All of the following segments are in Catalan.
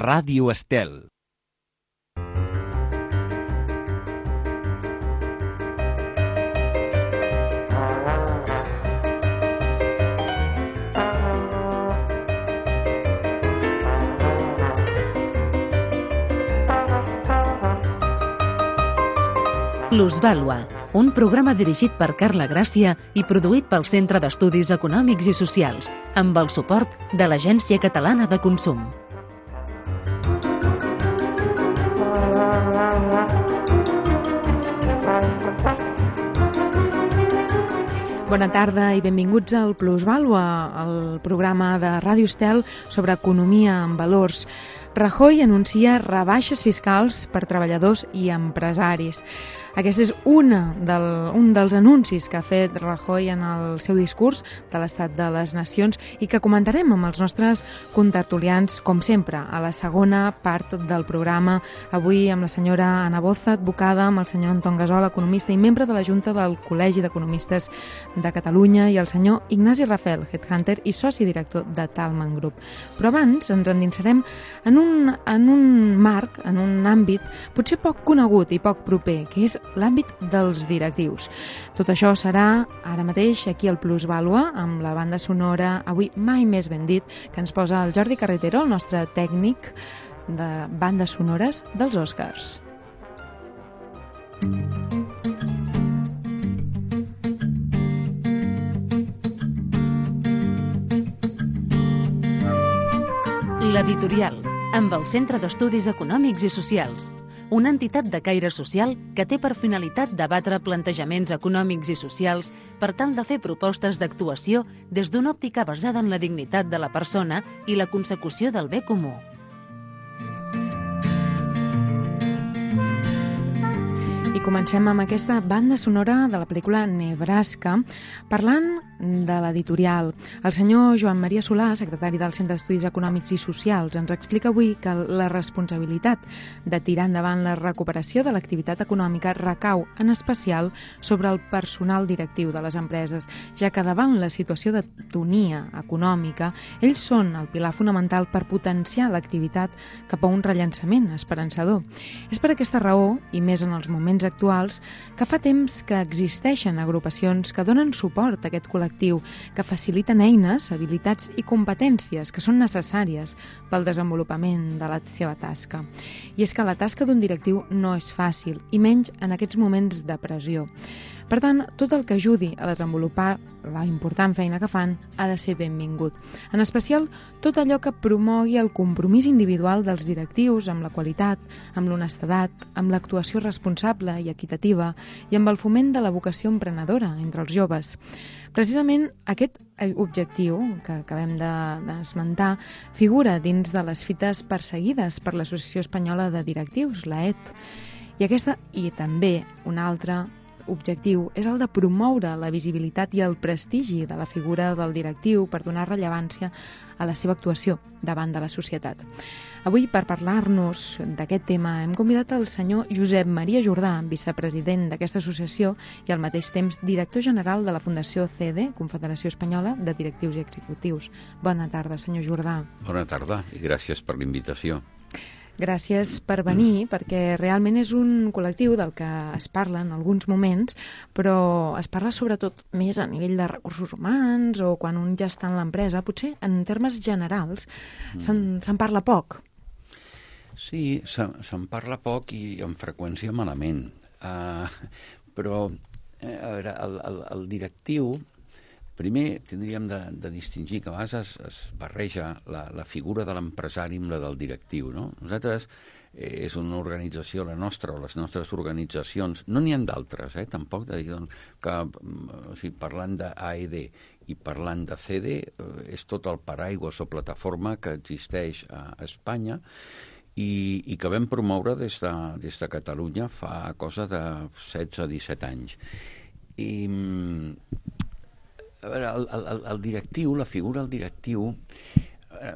Ràdio Estel. Plusvàlua, un programa dirigit per Carla Gràcia i produït pel Centre d'Estudis Econòmics i Socials, amb el suport de l'Agència Catalana de Consum. Bona tarda i benvinguts al Plusvàlua, el programa de Ràdio Estel sobre economia en valors. Rajoy anuncia rebaixes fiscals per treballadors i empresaris. Aquest és un dels anuncis que ha fet Rajoy en el seu discurs de l'Estat de les Nacions i que comentarem amb els nostres contertulians, com sempre, a la segona part del programa. Avui amb la senyora Ana Boza, advocada, amb el senyor Anton Gasol, economista i membre de la Junta del Col·legi d'Economistes de Catalunya, i el senyor Ignasi Rafel, headhunter i soci director de Talman Group. Però abans ens endinsarem en un marc, en un àmbit potser poc conegut i poc proper, que és l'àmbit dels directius. Tot això serà ara mateix aquí al Plusvàlua, amb la banda sonora, avui mai més ben dit, que ens posa el Jordi Carretero, el nostre tècnic de bandes sonores dels Oscars. L'Editorial, amb el Centre d'Estudis Econòmics i Socials, una entitat de caire social que té per finalitat debatre plantejaments econòmics i socials per tal de fer propostes d'actuació des d'una òptica basada en la dignitat de la persona i la consecució del bé comú. I comencem amb aquesta banda sonora de la pel·lícula Nebraska, parlant de l'editorial. El senyor Joan Maria Solà, secretari del Centre d'Estudis Econòmics i Socials, ens explica avui que la responsabilitat de tirar endavant la recuperació de l'activitat econòmica recau en especial sobre el personal directiu de les empreses, ja que davant la situació d'atonia econòmica, ells són el pilar fonamental per potenciar l'activitat cap a un rellançament esperançador. És per aquesta raó, i més en els moments actuals, que fa temps que existeixen agrupacions que donen suport a aquest col·lectiu, que faciliten eines, habilitats i competències que són necessàries pel desenvolupament de la seva tasca. I és que la tasca d'un directiu no és fàcil, i menys en aquests moments de pressió. Per tant, tot el que ajudi a desenvolupar la important feina que fan ha de ser benvingut. En especial, tot allò que promogui el compromís individual dels directius amb la qualitat, amb l'honestedat, amb l'actuació responsable i equitativa i amb el foment de la vocació emprenedora entre els joves. Precisament aquest objectiu que acabem d'esmentar figura dins de les fites perseguides per l'Associació Espanyola de Directius, l'AET. I també un altre objectiu és el de promoure la visibilitat i el prestigi de la figura del directiu per donar rellevància a la seva actuació davant de la societat. Avui, per parlar-nos d'aquest tema, hem convidat el senyor Josep Maria Jordà, vicepresident d'aquesta associació i al mateix temps director general de la Fundació CEDE, Confederació Espanyola de Directius i Executius. Bona tarda, senyor Jordà. Bona tarda i gràcies per l'invitació. Gràcies per venir, perquè realment és un col·lectiu del que es parla en alguns moments, però es parla sobretot més a nivell de recursos humans o quan un ja està en l'empresa. Potser en termes generals se'n parla poc. Sí, se'n parla poc i amb freqüència malament. Però a veure, el directiu, primer tindríem de distingir que a vegades es barreja la figura de l'empresari amb la del directiu, no? Nosaltres és una organització, la nostra o les nostres organitzacions, no n'hi ha d'altres, tampoc, que parlant d'AED i parlant de CEDE, és tot el paraigües o plataforma que existeix a Espanya i que vam promoure des de Catalunya fa cosa de 16-17 anys. I a veure, el directiu, la figura del directiu,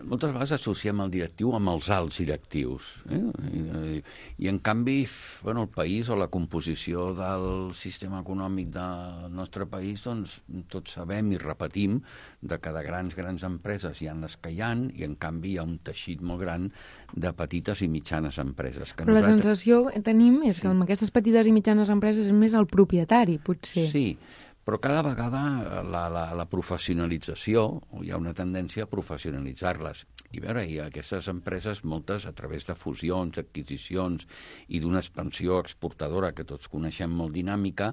moltes vegades associem el directiu amb els alts directius. I en canvi, el país o la composició del sistema econòmic del nostre país, doncs tots sabem i repetim de que de grans empreses hi ha les que hi ha, i en canvi hi ha un teixit molt gran de petites i mitjanes empreses. Però la sensació que tenim és que amb aquestes petites i mitjanes empreses és més el propietari, potser. Sí, però cada vegada la professionalització, hi ha una tendència a professionalitzar-les. I aquestes empreses, moltes a través de fusions, adquisicions i d'una expansió exportadora que tots coneixem molt dinàmica,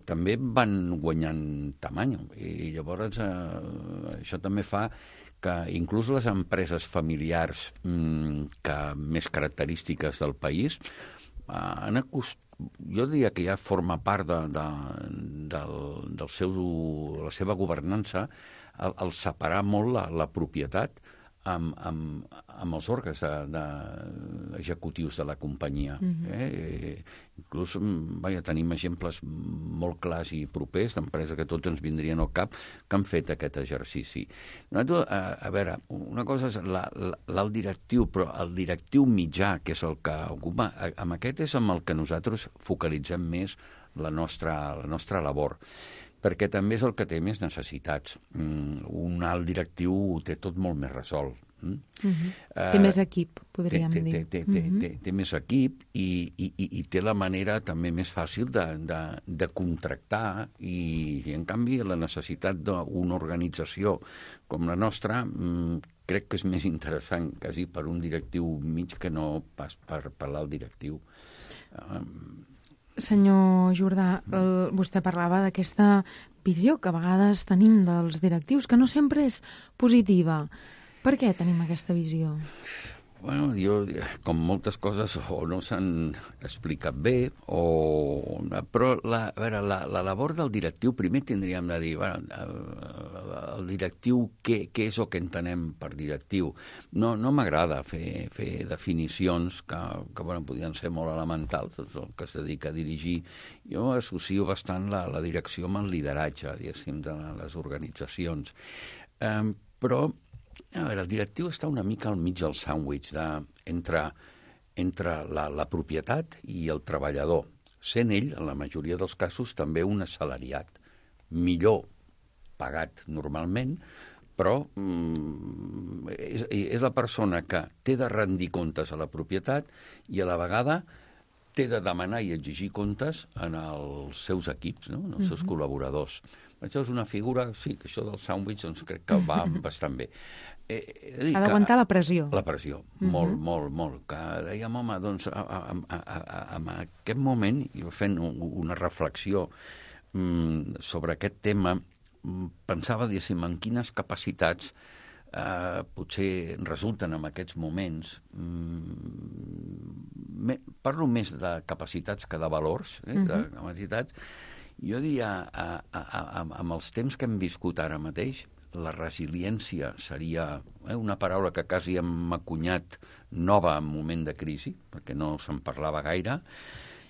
també van guanyant tamany. I llavors això també fa que inclús les empreses familiars més característiques del país jo diria que ja forma part de la seva governança el separar molt la propietat amb els òrgans executius de la companyia. Inclús tenim exemples molt clars i propers d'empreses que tots ens vindrien al cap que han fet aquest exercici. A veure, una cosa és l'alt directiu, però el directiu mitjà, que és el que ocupa, amb aquest és amb el que nosaltres focalitzem més la nostra labor, perquè també és el que té més necessitats. Un alt directiu ho té tot molt més resolt. Té més equip, podríem dir. Té més equip i té la manera també més fàcil de contractar i en canvi la necessitat d'una organització com la nostra crec que és més interessant quasi per un directiu mig que no pas per l'alt directiu. Senyor Jordà, vostè parlava d'aquesta visió que a vegades tenim dels directius, que no sempre és positiva. Per què tenim aquesta visió? Com moltes coses, o no s'han explicat bé, però la labor del directiu, primer tindríem de dir, el directiu, què és el que entenem per directiu? No m'agrada fer definicions que podrien ser molt elementals, el que es dedica a dirigir. Jo associo bastant la direcció amb el lideratge, diguéssim, de les organitzacions. Però el directiu està una mica al mig del sàndwich entre la propietat i el treballador, sent ell, en la majoria dels casos, també un assalariat, millor pagat normalment, però és la persona que té de rendir comptes a la propietat i a la vegada té de demanar i exigir comptes en els seus equips, no? En els seus col·laboradors. Això és una figura, sí, que això del sàndwich doncs crec que va bastant bé. Ha d'aguantar la pressió. La pressió, molt. Que dèiem, home, doncs, en aquest moment, i fent una reflexió sobre aquest tema, pensava, diguéssim, en quines capacitats potser resulten en aquests moments. Parlo més de capacitats que de valors, de capacitats. Jo diria, amb els temps que hem viscut ara mateix, la resiliència seria una paraula que quasi hem acunyat nova en moment de crisi, perquè no se'n parlava gaire.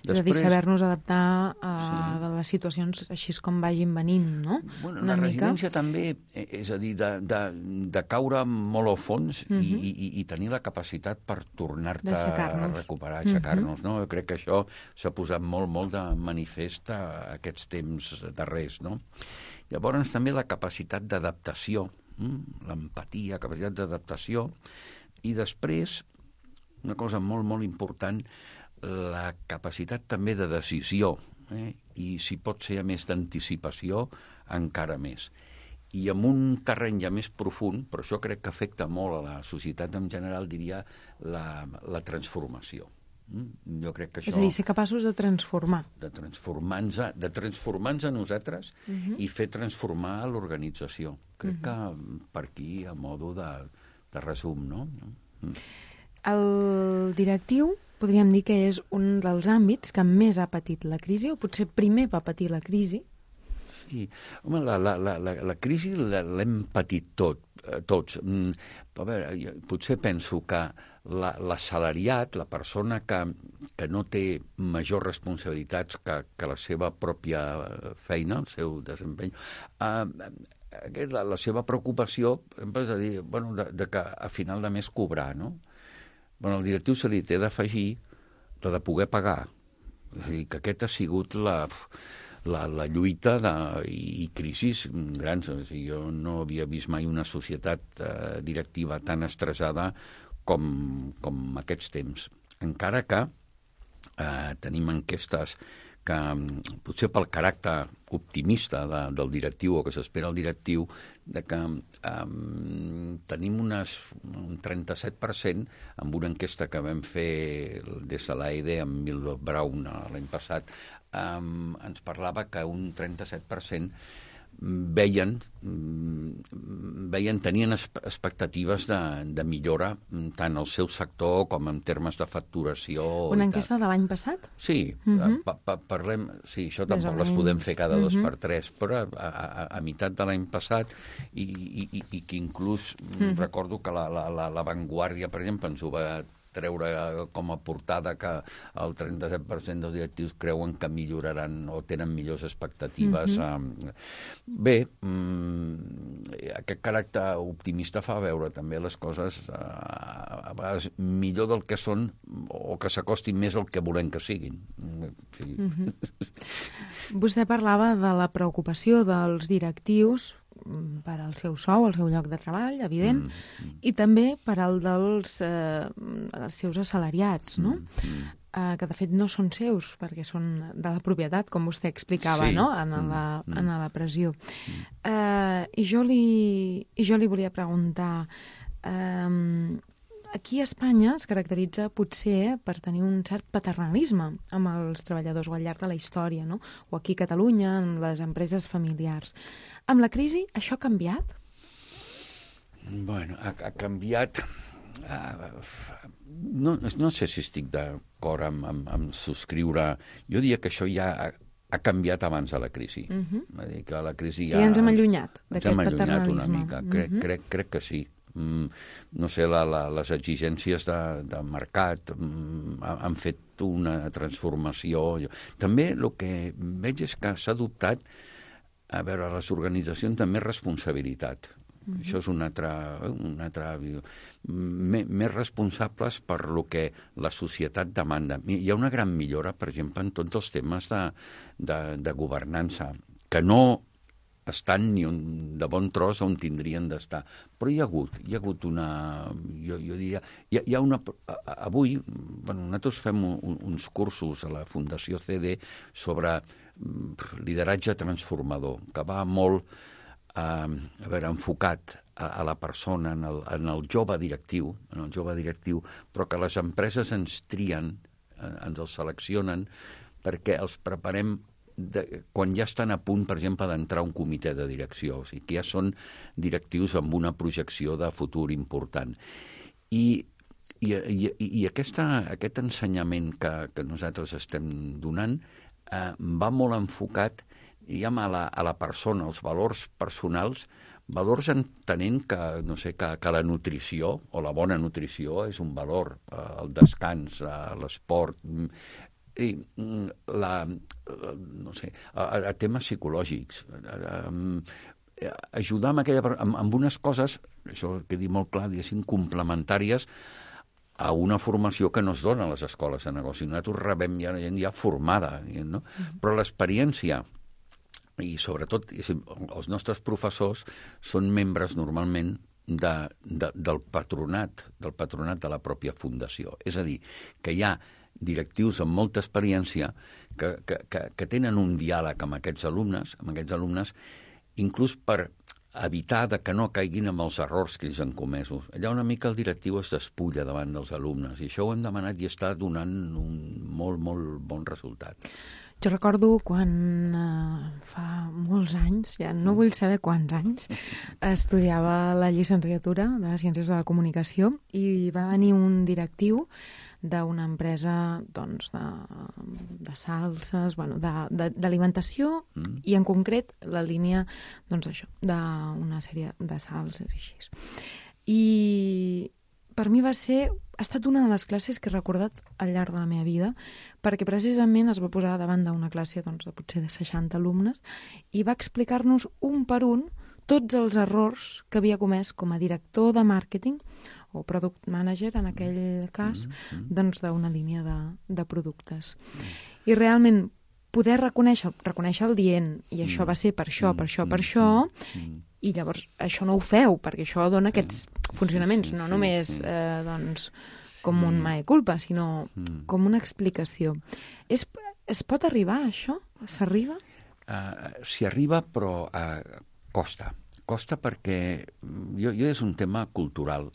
És a dir, saber-nos adaptar a les situacions així com vagin venint, no? La resiliència també, és a dir, de caure molt al fons i tenir la capacitat per tornar-te a recuperar, aixecar-nos, no? Jo crec que això s'ha posat molt de manifest a aquests temps darrers, no? Llavors també la capacitat d'adaptació, l'empatia, capacitat d'adaptació, i després, una cosa molt important, la capacitat també de decisió, i si pot ser a més d'anticipació, encara més. I en un terreny ja més profund, però això crec que afecta molt a la societat en general, diria la transformació. Jo crec que això... És a dir, ser capaços de transformar. De transformar-nos a nosaltres i fer transformar l'organització. Crec que per aquí, a modo de resum, no? El directiu, podríem dir que és un dels àmbits que més ha patit la crisi, o potser primer va patir la crisi. Sí. Home, la crisi l'hem patit tots. A veure, potser penso que l'assalariat, la persona que no té majors responsabilitats que la seva pròpia feina, el seu desempeny, la seva preocupació és a dir, bueno, de que a final de mes cobrar, no? Bueno, al directiu se li té d'afegir la de poder pagar. És a dir, que aquest ha sigut la lluita i crisis grans. O sigui, jo no havia vist mai una societat directiva tan estressada com aquests temps. Encara que tenim enquestes que potser pel caràcter optimista del directiu o que s'espera el directiu, de que tenim un 37% amb una enquesta que vam fer des de l'AED amb Milton Brown l'any passat, ens parlava que un 37% tenien expectatives de millora tant al seu sector com en termes de facturació. Una enquesta de l'any passat? Sí, parlem... Sí, això tampoc les podem fer cada 2 per 3, però a meitat de l'any passat i que inclús recordo que la Vanguardia, per exemple, ens ho va treure com a portada que el 37% dels directius creuen que milloraran o tenen millors expectatives. Bé, aquest caràcter optimista fa veure també les coses a vegades millor del que són o que s'acostin més al que volem que siguin. Sí. Vostè parlava de la preocupació dels directius per al seu sou, al seu lloc de treball, evident, i també per al dels seus assalariats, no? Que de fet no són seus, perquè són de la propietat, com vostè explicava, no? En la pressió. I jo li volia preguntar... Aquí a Espanya es caracteritza potser per tenir un cert paternalisme amb els treballadors o al llarg de la història, no? O aquí a Catalunya, amb les empreses familiars. Amb la crisi, això ha canviat? Bueno, ha canviat... No sé si estic d'acord amb subscriure... Jo diria que això ja ha canviat abans de la crisi. Va dir que la crisi ja... I ens hem allunyat d'aquest paternalisme. Una mica, crec que sí. No sé, les exigències de mercat han fet una transformació. També el que veig és que s'ha adoptat a veure, les organitzacions de més responsabilitat. Això és un altre més responsables per lo que la societat demanda. Hi ha una gran millora, per exemple, en tots els temes de governança, que no estan ni de bon tros on tindrien d'estar. Però hi ha hagut una... Jo diria... Hi ha una... Avui, nosaltres fem uns cursos a la Fundació CD sobre lideratge transformador, que va molt enfocat a la persona, en el jove directiu, però que les empreses ens trien, ens els seleccionen, perquè els preparem quan ja estan a punt, per exemple, d'entrar a un comitè de direcció, o sigui, que ja són directius amb una projecció de futur important. I aquest ensenyament que nosaltres estem donant va molt enfocat, diguem, a la persona, als valors personals, valors entenent que, no sé, que la nutrició, o la bona nutrició, és un valor, el descans, l'esport, i no sé, a temes psicològics, ajudar amb unes coses, això que he dit molt clar, diguéssim, complementàries a una formació que no es dona a les escoles de negoci. Nosaltres rebem ja gent ja formada, no? Però l'experiència i sobretot els nostres professors són membres normalment del patronat de la pròpia fundació. És a dir, que hi ha directius amb molta experiència que tenen un diàleg amb aquests alumnes, inclús per evitar que no caiguin amb els errors que ells han comesos. Allà una mica el directiu es despulla davant dels alumnes, i això ho hem demanat i està donant un molt, molt bon resultat. Jo recordo quan fa molts anys, ja no vull saber quants anys, estudiava la llicenciatura de Ciències de la Comunicació i va venir un directiu d'una empresa doncs, de salses, bueno, d'alimentació i en concret la línia doncs, això, d'una sèrie de salses i així. I per mi ha estat una de les classes que he recordat al llarg de la meva vida, perquè precisament es va posar davant d'una classe doncs, de potser de 60 alumnes i va explicar-nos un per un tots els errors que havia comès com a director de màrqueting o product manager, en aquell cas, doncs d'una línia de productes. I realment poder reconèixer el dient, i això va ser per això, i llavors això no ho feu, perquè això dona aquests funcionaments, no només doncs, com un mea culpa, sinó com una explicació. Es pot arribar a això? S'arriba? S'hi arriba, però costa. Costa perquè és un tema cultural.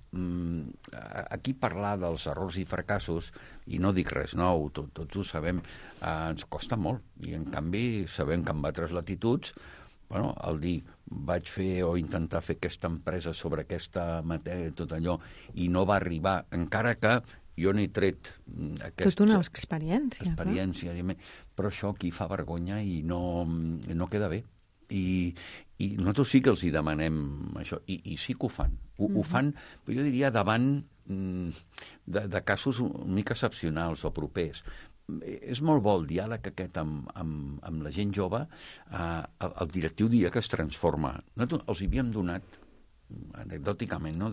Aquí parlar dels errors i fracassos, i no dic res nou, tots ho sabem, ens costa molt. I en canvi sabem que en altres latituds, el dir vaig fer o intentar fer aquesta empresa sobre aquesta matèria, tot allò, i no va arribar, encara que jo n'he tret tota una experiència. Però això aquí fa vergonya i no queda bé. I nosaltres sí que els hi demanem això, i sí que ho fan. Ho fan, però jo diria, davant de casos una mica excepcionals o propers. És molt bo el diàleg aquest amb la gent jove. El directiu diria que es transforma. Nosaltres els hi havíem donat, anecdòticament, no?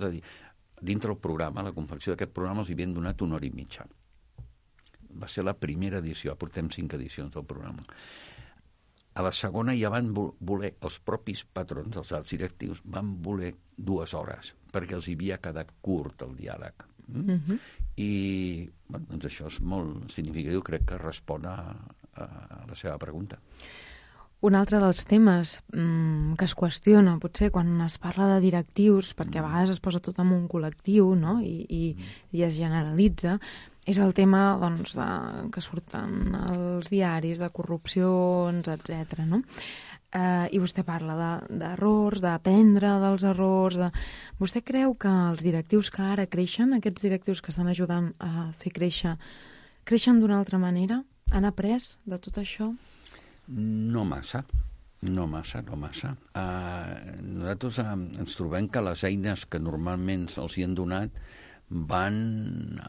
Dintre el programa, la confecció d'aquest programa, els hi havien donat 1 hora i mitja. Va ser la primera edició, portem 5 edicions del programa. A la segona ja van voler, els propis patrons, els alts directius, van voler 2 hores, perquè els hi havia quedat curt el diàleg. I doncs això és molt significatiu, crec que respon a la seva pregunta. Un altre dels temes que es qüestiona, potser, quan es parla de directius, perquè a vegades es posa tot en un col·lectiu, no? I es generalitza, és el tema doncs, que surten als diaris, de corrupcions, etc. No? I vostè parla d'errors, d'aprendre dels errors. Vostè creu que els directius que ara creixen, aquests directius que estan ajudant a fer créixer, creixen d'una altra manera? Han après de tot això? No massa. Nosaltres ens trobem que les eines que normalment els hi han donat van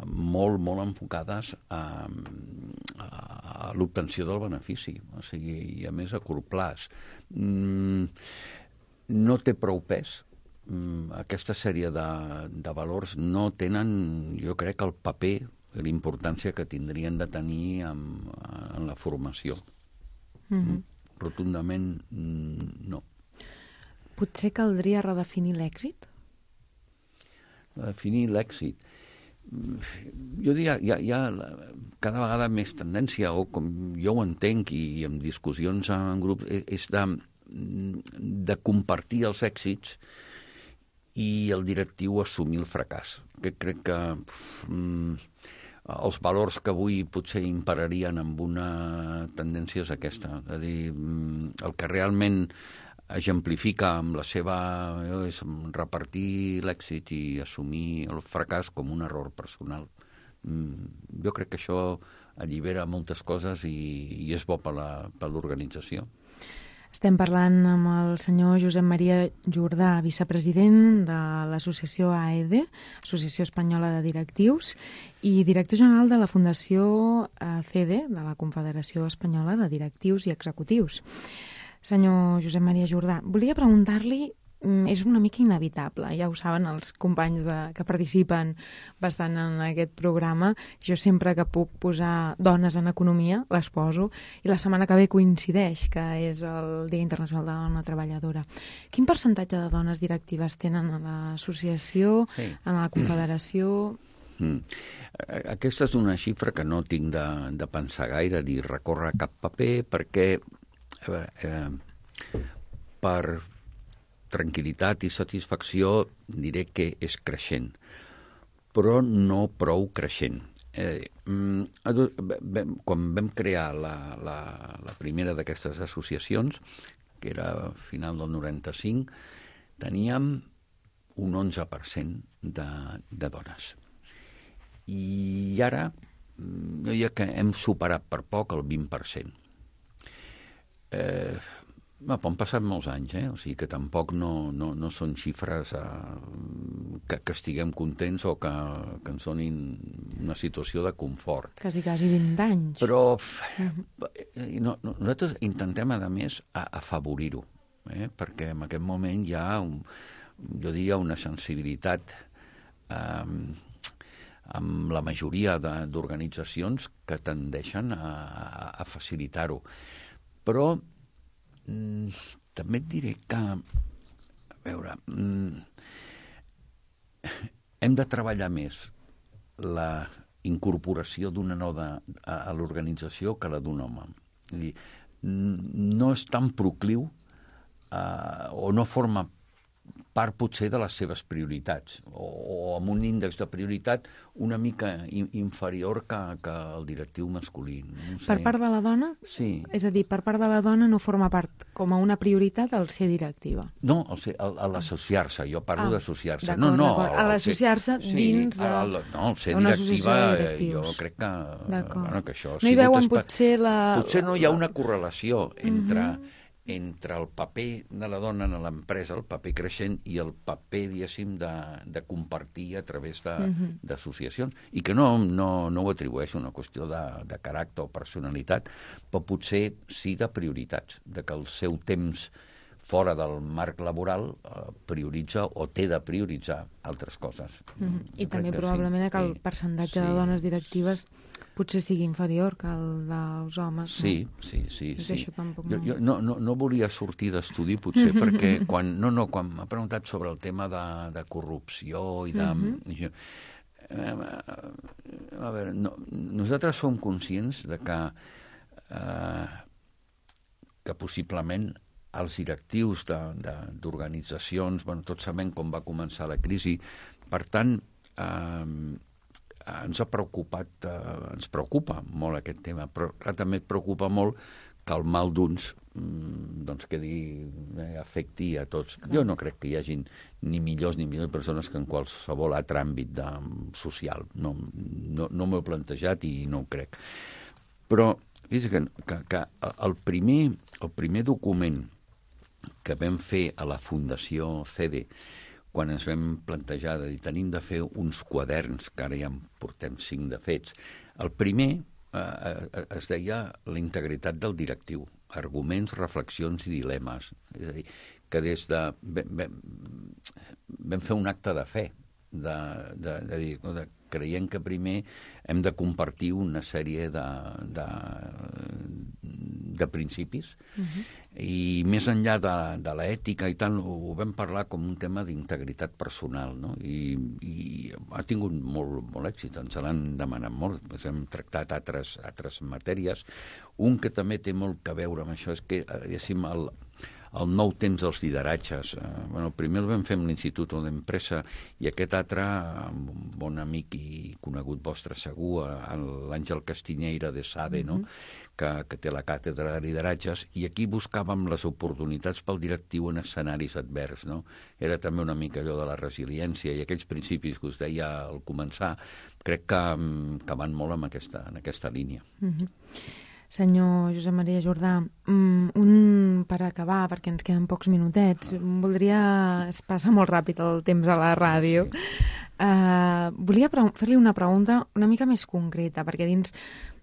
molt, molt enfocades a l'obtenció del benefici, o sigui, i a més a curt plaç. No té prou pes. Aquesta sèrie de valors no tenen, jo crec, el paper, l'importància que tindrien de tenir en la formació. Rotundament no. Potser caldria redefinir l'èxit? Definir l'èxit. Jo diria, hi ha cada vegada més tendència, o com jo ho entenc, i en discussions en grups, és de compartir els èxits i el directiu assumir el fracàs. Crec que els valors que avui potser imperarien amb una tendència és aquesta. És a dir, el que realment exemplifica amb la seva... és repartir l'èxit i assumir el fracàs com un error personal. Jo crec que això allibera moltes coses i és bo per l'organització. Estem parlant amb el senyor Josep Maria Jordà, vicepresident de l'associació AEDE, Associació Espanyola de Directius, i director general de la Fundació CEDE, de la Confederació Espanyola de Directius i Executius. Senyor Josep Maria Jordà, volia preguntar-li, és una mica inevitable, ja ho saben els companys que participen bastant en aquest programa, jo sempre que puc posar dones en economia les poso, i la setmana que ve coincideix que és el Dia Internacional de la Dona Treballadora. Quin percentatge de dones directives tenen a l'associació, en la confederació? Aquesta és una xifra que no tinc de pensar gaire ni recórrer a cap paper, perquè per tranquil·litat i satisfacció diré que és creixent, però no prou creixent. Quan vam crear la primera d'aquestes associacions, que era a final del 95, teníem un 11% de dones. I ara jo diria que hem superat per poc el 20%. Han passat molts anys, o sigui que tampoc no són xifres que estiguem contents o que ens donin una situació de confort. Quasi 20 anys. Però nosaltres intentem, a més, afavorir-ho. perquè en aquest moment hi ha, jo diria, una sensibilitat amb la majoria d'organitzacions que tendeixen a facilitar-ho. Però també et diré que, a veure, hem de treballar més la incorporació d'una nova a l'organització que la d'un home. És a dir, no és tan procliu o no forma part potser de les seves prioritats o amb un índex de prioritat una mica inferior que el directiu masculí. No sé. Per part de la dona? Sí. És a dir, per part de la dona no forma part com a una prioritat el ser directiva? No, l'associar-se. Jo parlo d'associar-se. No, a l'associar-se dins de... No, el ser directiva, jo crec que això... No hi veuen potser la... Potser no hi ha una correlació entre el paper de la dona en l'empresa, el paper creixent, i el paper, diguéssim, de compartir a través d'associacions. I que no ho atribueixo a una qüestió de caràcter o personalitat, però potser sí de prioritats, de que el seu temps fora del marc laboral prioritza o té de prioritzar altres coses. I també probablement que el percentatge de dones directives potser sigui inferior que el dels homes. Sí. Jo no volia sortir d'estudi, potser, perquè quan m'ha preguntat sobre el tema de corrupció i de... A veure, nosaltres som conscients de que possiblement els directius d'organitzacions, tots sabem com va començar la crisi, per tant, ens preocupa molt aquest tema, però també et preocupa molt que el mal d'uns afecti a tots. Jo no crec que hi hagi ni millors persones que en qualsevol altre àmbit social. No m'ho he plantejat i no ho crec. Però fixa't que el primer document que vam fer a la Fundació CEDE, quan ens vam plantejar de dir, tenim de fer uns quaderns, que ara ja en portem 5 de fets. El primer es deia la integritat del directiu, arguments, reflexions i dilemes. És a dir, que des de... Vam fer un acte de fe, de dir, creiem que primer hem de compartir una sèrie de principis i més enllà de l'ètica i tal, ho vam parlar com un tema d'integritat personal, no? I ha tingut molt èxit, ens l'han demanat molt, hem tractat altres matèries. Un que també té molt a veure amb això és que, diguéssim, el nou temps dels lideratges. El primer el vam fer amb l'Institut d'Empresa i aquest altre, amb un bon amic i conegut vostre segur, l'Àngel Castiñeira de SADE, no? que té la càtedra de lideratges, i aquí buscàvem les oportunitats pel directiu en escenaris advers. No? Era també una mica allò de la resiliència i aquells principis que us deia al començar, crec que van molt en aquesta línia. Senyor Josep Maria Jordà, per acabar, perquè ens queden pocs minutets, es passa molt ràpid el temps a la ràdio. Volia fer-li una pregunta una mica més concreta, perquè dins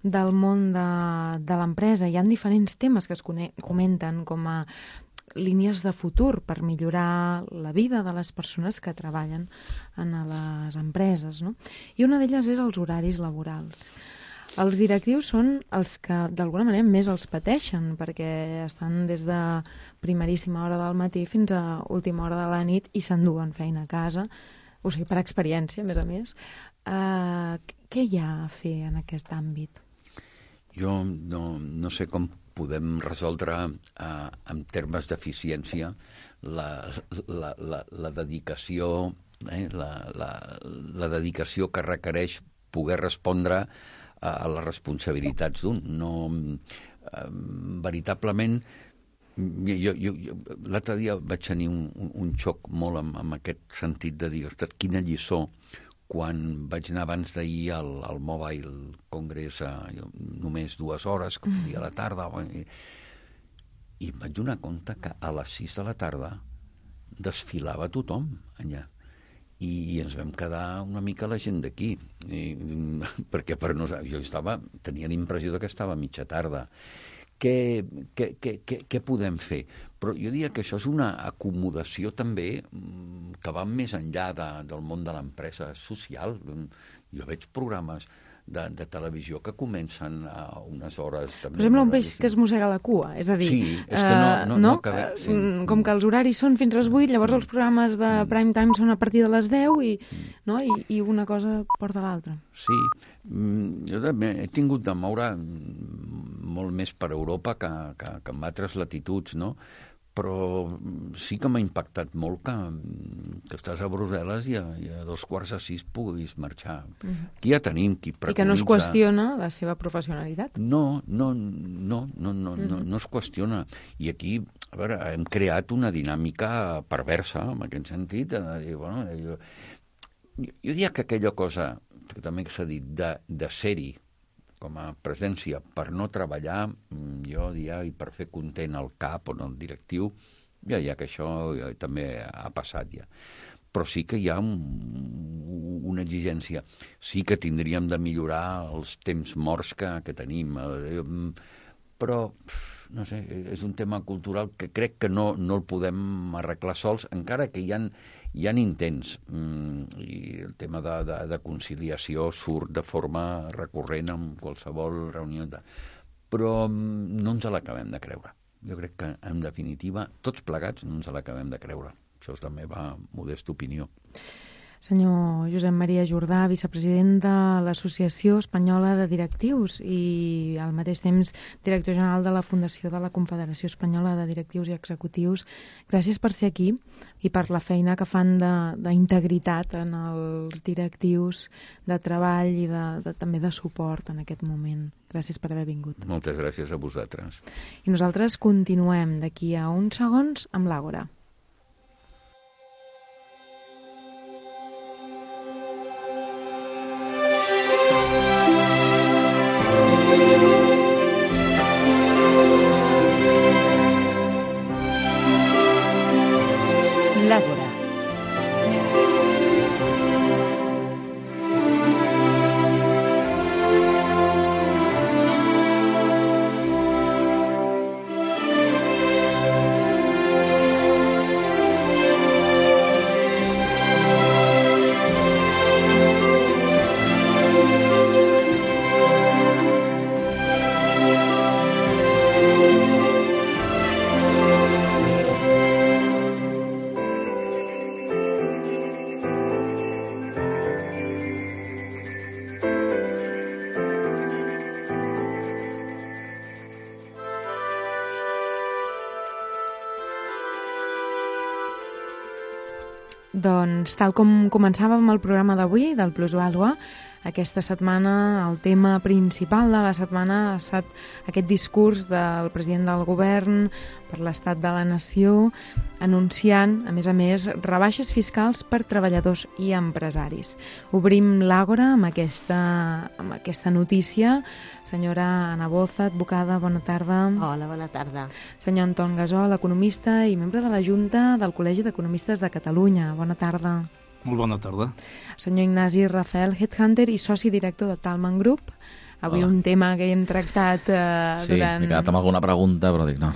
del món de l'empresa hi ha diferents temes que es comenten com a línies de futur per millorar la vida de les persones que treballen en les empreses, no? I una d'elles és els horaris laborals. Els directius són els que, d'alguna manera, més els pateixen, perquè estan des de primeríssima hora del matí fins a última hora de la nit i s'enduen feina a casa, o sigui, per experiència, a més. Què hi ha a fer en aquest àmbit? Jo no sé com podem resoldre en termes d'eficiència la dedicació, la dedicació que requereix poder respondre a les responsabilitats d'un. Veritablement, l'altre dia vaig tenir un xoc molt amb aquest sentit de dir, ostres, quina lliçó, quan vaig anar abans d'ahir al Mobile Congress només 2 hores, que podia a la tarda, i em vaig donar compte que a les 6 de la tarda desfilava tothom allà. I ens vam quedar una mica la gent d'aquí, perquè per nosaltres tenia la impressió que estava a mitja tarda. Què podem fer? Però jo diria que això és una acomodació també que va més enllà del món de l'empresa social. Jo veig programes de televisió que comencen a unes hores... Per exemple, un peix que es mossega la cua, és a dir... Sí, és que no acabem... Sí. Com que els horaris són fins a les 8, llavors els programes de prime time són a partir de les 10 i una cosa porta l'altra. Sí, jo també he tingut de moure molt més per Europa que en altres latituds, no? Però sí que m'ha impactat molt que estàs a Brussel·les i a 5:45 puguis marxar. Aquí ja tenim qui preconitza... I que no es qüestiona la seva professionalitat. No es qüestiona. I aquí, a veure, hem creat una dinàmica perversa, en aquest sentit, de dir, bueno, jo diria que aquella cosa que també s'ha dit de ser-hi com a presència per no treballar, jo diria, i per fer content el cap o el directiu, ja que això també ha passat ja. Però sí que hi ha una exigència. Sí que tindríem de millorar els temps morts que tenim, però, no sé, és un tema cultural que crec que no el podem arreglar sols, encara que hi ha intents, i el tema de conciliació surt de forma recurrent en qualsevol reunió, però no ens l'acabem de creure. Jo crec que, en definitiva, tots plegats no ens l'acabem de creure. Això és la meva modesta opinió. Senyor Josep Maria Jordà, vicepresident de l'Associació Espanyola de Directius i al mateix temps director general de la Fundació de la Confederació Espanyola de Directius i Executius, gràcies per ser aquí i per la feina que fan d'integritat en els directius, de treball i també de suport en aquest moment. Gràcies per haver vingut. Moltes gràcies a vosaltres. I nosaltres continuem d'aquí a uns segons amb l'Àgora. L'Àgora. Doncs, tal com començàvem el programa d'avui, del Plusvàlua, aquesta setmana el tema principal de la setmana ha estat aquest discurs del president del govern per l'estat de la nació, anunciant, a més, rebaixes fiscals per treballadors i empresaris. Obrim l'Àgora amb aquesta notícia. Senyora Ana Boza, advocada, bona tarda. Hola, bona tarda. Senyor Anton Gasol, economista i membre de la Junta del Col·legi d'Economistes de Catalunya. Bona tarda. Molt bona tarda. Senyor Ignasi Rafael, headhunter i soci director de Talman Group. Avui un tema que hem tractat durant... Sí, m'he quedat amb alguna pregunta, però dic no.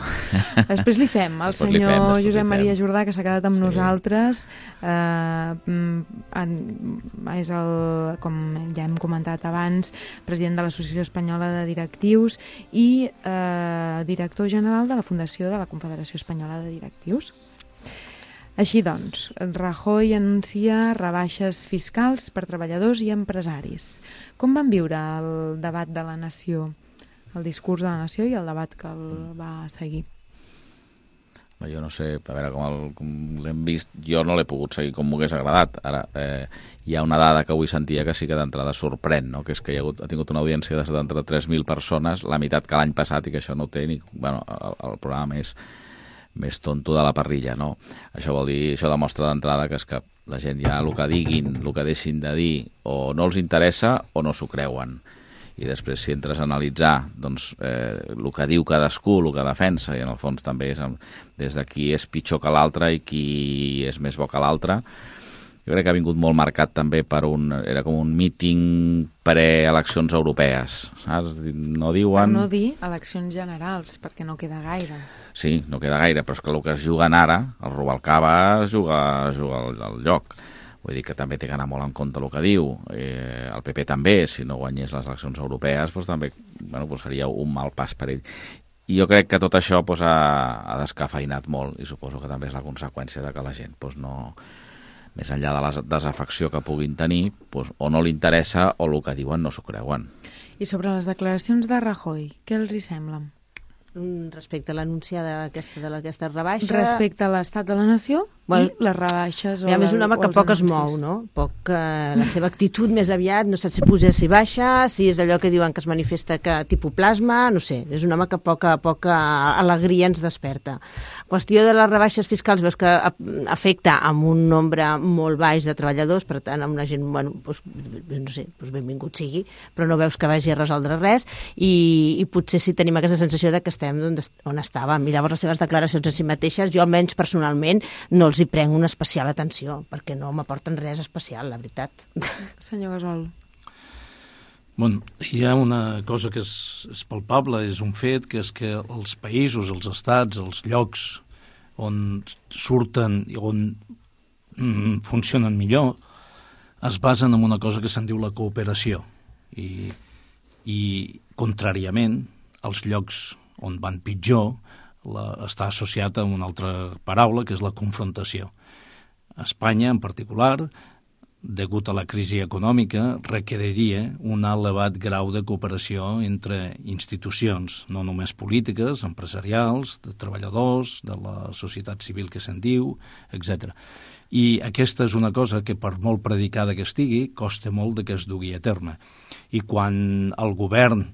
Després li fem. El senyor Josep Maria Jordà, que s'ha quedat amb nosaltres, és com ja hem comentat abans, president de l'Associació Espanyola de Directius i director general de la Fundació de la Confederació Espanyola de Directius. Així doncs, Rajoy anuncia rebaixes fiscals per treballadors i empresaris. Com van viure el debat de la nació, el discurs de la nació i el debat que el va seguir? Jo no sé, a veure com l'hem vist, jo no l'he pogut seguir com m'hagués agradat. Ara, hi ha una dada que avui sentia que sí que d'entrada sorprèn, no? Que és que ha tingut una audiència de 73.000 persones, la meitat que l'any passat, i que això no té ni... Bueno, el programa més tonto de la parrilla, no? Això vol dir, això demostra d'entrada que és que la gent ja el que diguin, el que deixin de dir, o no els interessa o no s'ho creuen. I després, si entres a analitzar doncs, el que diu cadascú, el que defensa, i en el fons també és des de qui és pitjor que l'altre i qui és més bo que l'altre, jo crec que ha vingut molt marcat també per era com un míting preeleccions europees, saps? No diuen... Per no dir eleccions generals, perquè no queda gaire. Sí, no queda gaire, però és que el que es juguen ara, el Rubalcaba es juga al lloc. Vull dir que també té que anar molt en compte el que diu. El PP també, si no guanyés les eleccions europees, doncs també seria un mal pas per ell. I jo crec que tot això ha descafeinat molt i suposo que també és la conseqüència de que la gent no, més enllà de la desafecció que puguin tenir, o no li interessa o el que diuen no s'ho creuen. I sobre les declaracions de Rajoy, què els hi semblen? Respecte a l'anúncia d'aquesta rebaixa... Respecte a l'estat de la nació i les rebaixes... A més, un home que poc es mou, no? La seva actitud més aviat, no saps si puja, si baixa, si és allò que diuen que es manifesta que tipus plasma, no sé, és un home que poca alegria ens desperta. Qüestió de les rebaixes fiscals, veus que afecta amb un nombre molt baix de treballadors, per tant, amb una gent, no sé, benvingut sigui, però no veus que vagi a resoldre res, i potser sí tenim aquesta sensació de que estem on estàvem. I llavors les seves declaracions en si mateixes, jo almenys personalment no els hi prenc una especial atenció, perquè no m'aporten res especial, la veritat. Senyor Gasol. Hi ha una cosa que és palpable, és un fet, que és que els països, els estats, els llocs on surten i on funcionen millor es basen en una cosa que se'n diu la cooperació. I contràriament, els llocs on van pitjor està associat a una altra paraula, que és la confrontació. Espanya, en particular, degut a la crisi econòmica, requeriria un elevat grau de cooperació entre institucions, no només polítiques, empresarials, de treballadors, de la societat civil que se'n diu, etc. I aquesta és una cosa que, per molt predicada que estigui, costa molt que es dugui a terme. I quan el govern,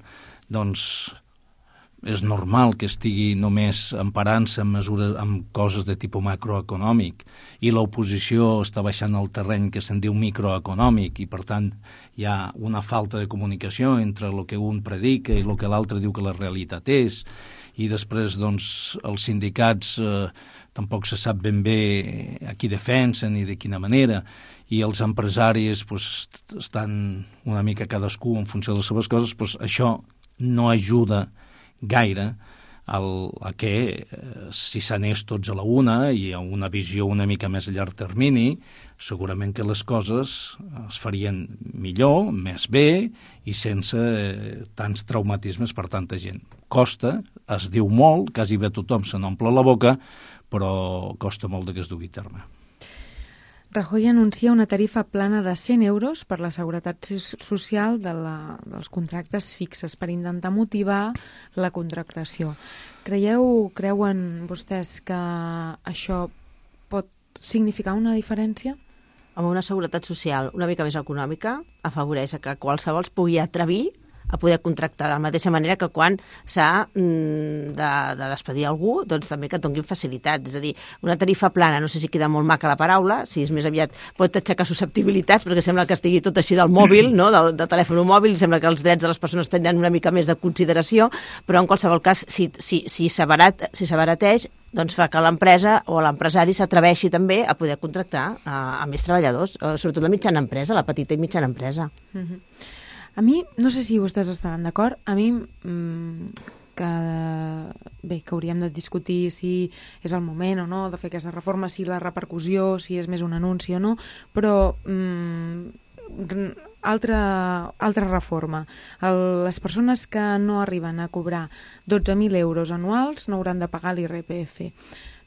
és normal que estigui només emparant-se en coses de tipus macroeconòmic i l'oposició està baixant al terreny que se'n diu microeconòmic i, per tant, hi ha una falta de comunicació entre el que un predica i el que l'altre diu que la realitat és, i després els sindicats tampoc se sap ben bé a qui defensen i de quina manera, i els empresaris estan una mica cadascú en funció de les seves coses, això no ajuda gaire a que si s'anés tots a la una i a una visió una mica més a llarg termini, segurament que les coses es farien millor, més bé i sense tants traumatismes per tanta gent. Costa, es diu molt, quasi bé tothom se n'omple la boca, però costa molt que es dugui a terme. Rajoy anuncia una tarifa plana de 100 euros per la seguretat social dels contractes fixes per intentar motivar la contractació. Creuen vostès que això pot significar una diferència? Amb una seguretat social una mica més econòmica afavoreix que qualsevol es pugui atrevir a poder contractar de la mateixa manera que quan s'ha de despedir algú, doncs també que et donin facilitats. És a dir, una tarifa plana, no sé si queda molt maca la paraula, si és més aviat pot aixecar susceptibilitats, perquè sembla que estigui tot així del mòbil, no? de telèfon mòbil, sembla que els drets de les persones tenen una mica més de consideració, però en qualsevol cas, si s'abarateix, doncs fa que l'empresa o l'empresari s'atreveixi també a poder contractar a més treballadors, sobretot la mitjana empresa, la petita i mitjana empresa. A mi, no sé si vostès estaran d'acord, a mi que hauríem de discutir si és el moment o no de fer aquesta reforma, si la repercussió, si és més un anunci o no, però altra reforma. Les persones que no arriben a cobrar 12.000 euros anuals no hauran de pagar l'IRPF.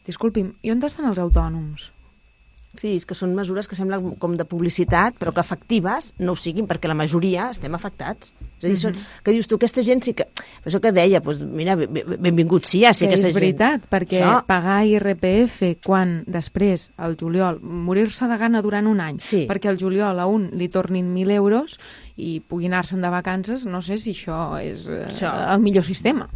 Disculpi'm, i on estan els autònoms? Sí, és que són mesures que semblen com de publicitat, però que efectives no ho siguin, perquè la majoria estem afectats. És a dir, que dius tu, aquesta gent sí que... Això que deia, doncs mira, benvingut sí, sí que és veritat, perquè pagar IRPF quan després, al juliol, morir-se de gana durant un any, perquè al juliol a un li tornin 1.000 euros i pugui anar-se'n de vacances, no sé si això és el millor sistema.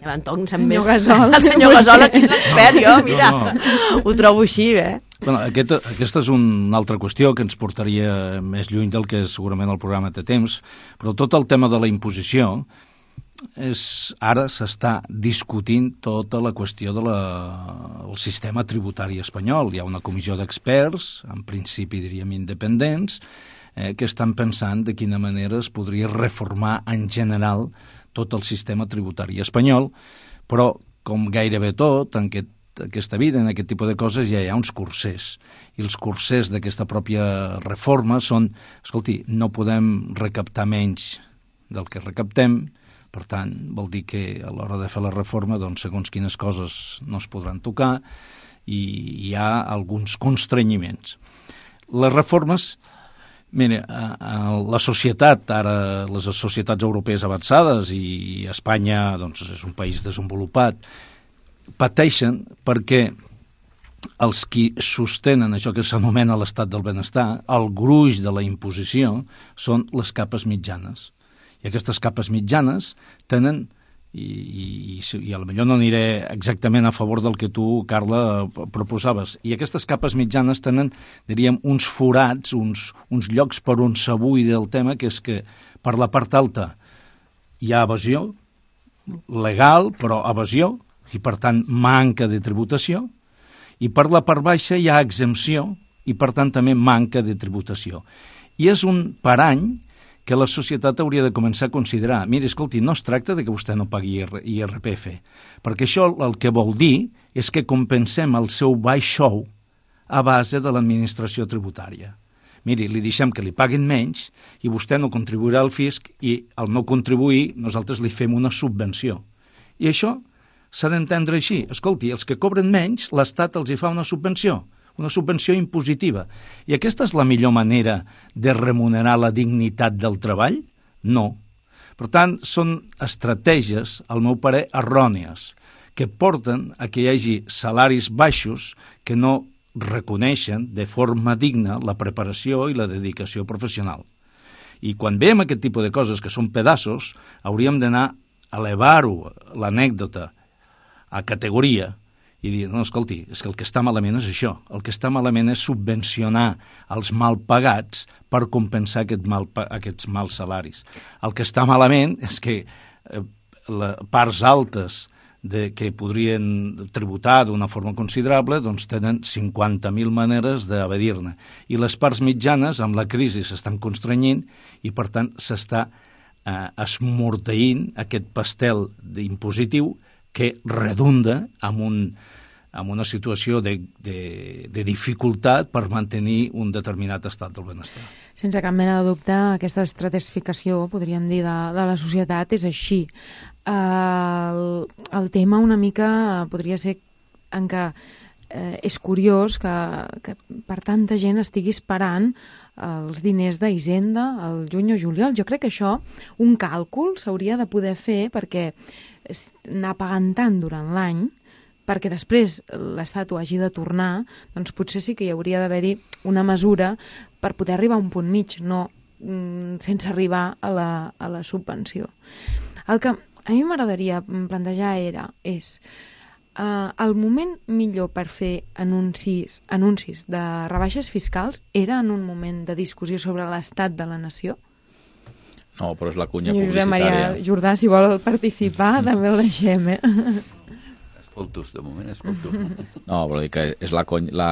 L'Anton sap més. El senyor Gasol aquí és l'expert, jo, mira, ho trobo així, Aquesta és una altra qüestió que ens portaria més lluny del que segurament el programa té temps, però tot el tema de la imposició ara s'està discutint tota la qüestió del sistema tributari espanyol. Hi ha una comissió d'experts, en principi diríem independents, que estan pensant de quina manera es podria reformar en general tot el sistema tributari espanyol, però com gairebé tot en aquesta vida, en aquest tipus de coses, ja hi ha uns cursers. I els cursers d'aquesta pròpia reforma són, escolti, no podem recaptar menys del que recaptem, per tant, vol dir que a l'hora de fer la reforma, doncs, segons quines coses no es podran tocar i hi ha alguns constrenyiments. Les reformes, mira, la societat, ara les societats europees avançades i Espanya, doncs, és un país desenvolupat, pateixen perquè els qui sostenen això que s'anomena l'estat del benestar, el gruix de la imposició, són les capes mitjanes. I aquestes capes mitjanes tenen, i a lo millor no aniré exactament a favor del que tu, Carla, proposaves, i aquestes capes mitjanes tenen, diríem, uns forats, uns llocs per on s'abuida el tema, que és que per la part alta hi ha evasió legal, però evasió, i per tant manca de tributació, i per la part baixa hi ha exempció, i per tant també manca de tributació. I és un parany que la societat hauria de començar a considerar. Mira, escolti, no es tracta de que vostè no pagui IRPF, perquè això el que vol dir és que compensem el seu baix sou a base de l'administració tributària. Miri, li deixem que li paguin menys i vostè no contribuirà al fisc i al no contribuir nosaltres li fem una subvenció. I això s'ha d'entendre així. Escolti, els que cobren menys, l'Estat els hi fa una subvenció impositiva. I aquesta és la millor manera de remunerar la dignitat del treball? No. Per tant, són estratègies, al meu parer, errònies, que porten a que hi hagi salaris baixos que no reconeixen de forma digna la preparació i la dedicació professional. I quan veiem aquest tipus de coses que són pedaços, hauríem d'anar a elevar-ho, l'anècdota, a categoria, i dir, no, escolti, és que el que està malament és això. El que està malament és subvencionar els mal pagats per compensar aquests mals salaris. El que està malament és que parts altes que podrien tributar d'una forma considerable doncs tenen 50.000 maneres d'evadir-ne. I les parts mitjanes, amb la crisi, s'estan constrenyint i, per tant, s'està esmorteint aquest pastel impositiu que redunda en una situació de dificultat per mantenir un determinat estat del benestar. Sense cap mena de dubte, aquesta estratificació, podríem dir, de la societat és així. El tema una mica podria ser en què és curiós que per tanta gent estigui esperant els diners d'Hisenda al juny o juliol. Jo crec que això, un càlcul s'hauria de poder fer perquè anar pagant tant durant l'any, perquè després l'Estat ho hagi de tornar, doncs potser sí que hi hauria d'haver-hi una mesura per poder arribar a un punt mig, no sense arribar a la subvenció. El que a mi m'agradaria plantejar és el moment millor per fer anuncis de rebaixes fiscals era en un moment de discussió sobre l'estat de la nació? No, però és la cunya Josep publicitària. Maria Jordà, si vol participar, també el deixem, Escoltos, de moment escolto. No, però dic que és la